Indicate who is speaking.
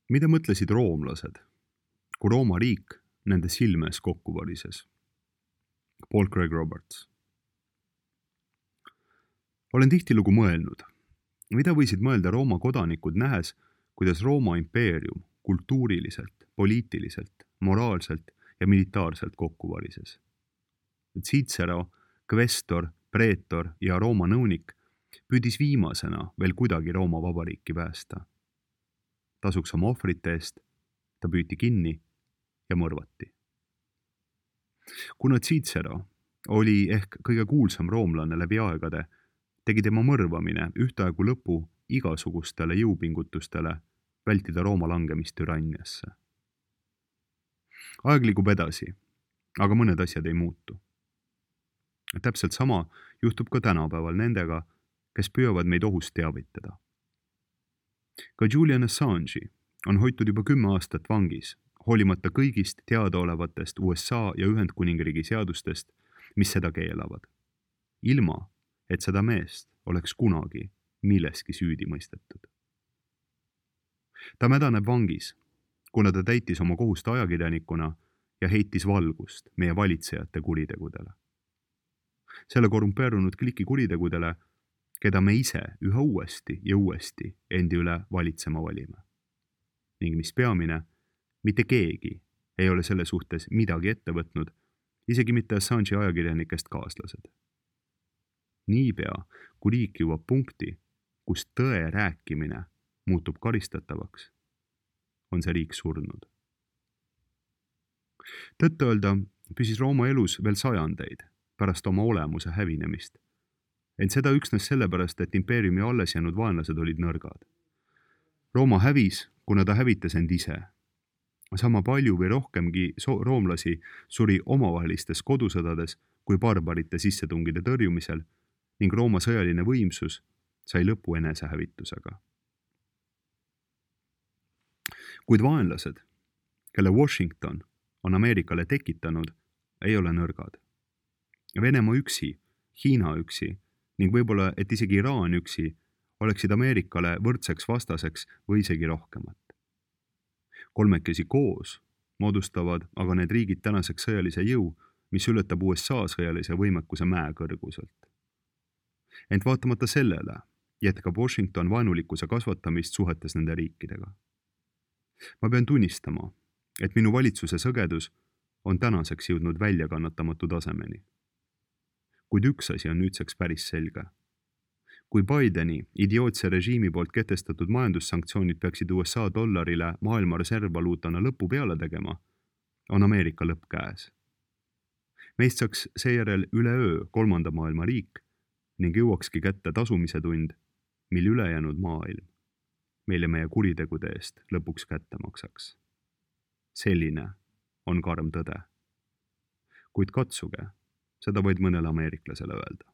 Speaker 1: Mida mõtlesid roomlased, kui Rooma riik nende silme ees kokku varises? Paul Craig Roberts. Olen tihtilugu mõelnud, mida võisid mõelda Rooma kodanikud nähes, kuidas Rooma impeerium kultuuriliselt, poliitiliselt, moraalselt ja militaarselt kokku varises. Cicero, kvestor, preetor ja Rooma nõunik püüdis viimasena veel kuidagi Rooma vabariiki päästa. Tasuks oma ohvrite eest, ta püüti kinni ja mõrvati. Kuna Cicero oli ehk kõige kuulsam roomlane läbi aegade, tegi tema mõrvamine ühtaegu lõpu igasugustele jõupingutustele vältida Rooma langemist türanniasse. Aeg liigub edasi, aga mõned asjad ei muutu. Täpselt sama juhtub ka tänapäeval nendega, kes püüavad meid ohust teavitada. Ka Julian Assange'i on hoitud juba 10 aastat vangis, hoolimata kõigist teadaolevatest USA ja Ühendkuningriigi seadustest, mis seda keelavad. Ilma, et seda meest oleks kunagi milleski süüdi mõistetud. Ta mädaneb vangis, kuna ta täitis oma kohust ajakirjanikuna ja heitis valgust meie valitsejate kuritegudele. Selle korrumpeerunud kliki kuritegudele, keda me ise üha uuesti ja uuesti endi üle valitsema valime. Ning mis peamine, mitte keegi ei ole selle suhtes midagi ette võtnud, isegi mitte Assange'i ajakirjanikest kaaslased. Niipea, kui riik jõuab punkti, kus tõe rääkimine muutub karistatavaks, on see riik surnud. Tõtt-öelda püsis Rooma elus veel sajandeid pärast oma olemuse hävinemist, ent seda üksnes sellepärast, et impeeriumi alles jäänud vaenlased olid nõrgad. Rooma hävis, kuna ta hävitas end ise. Sama palju või rohkemgi roomlasi suri omavahelistes kodusõdades kui barbarite sissetungide tõrjumisel ning Rooma sõjaline võimsus sai lõpu enesehävitusega. Kuid vaenlased, kelle Washington on Ameerikale tekitanud, ei ole nõrgad. Venemaa üksi, Hiina üksi ning võib-olla, et isegi Iraan üksi oleksid Ameerikale võrdseks vastaseks või isegi rohkemat. Kolmekesi koos moodustavad aga need riigid tänaseks sõjalise jõu, mis ületab USA sõjalise võimekuse mäekõrguselt. Ent vaatamata sellele jätkab Washington vaenulikkuse kasvatamist suhetes nende riikidega. Ma pean tunnistama, et minu valitsuse sõgedus on tänaseks jõudnud väljakannatamatu tasemeni. Kuid üks asi on nüüdseks päris selge. Kui Bideni idiootse režiimi poolt kehtestatud majandussanktsioonid peaksid USA dollarile maailma reservvaluutana lõpu peale tegema, on Ameerika lõpp käes. Meist saaks seejärel üleöö 3. maailma riik ning jõuakski kätte tasumise tund, mil ülejäänud maailm meile meie kuritegude eest lõpuks kätte maksaks. Selline on karm tõde. Kuid katsuge seda vaid mõnele ameeriklasele öelda.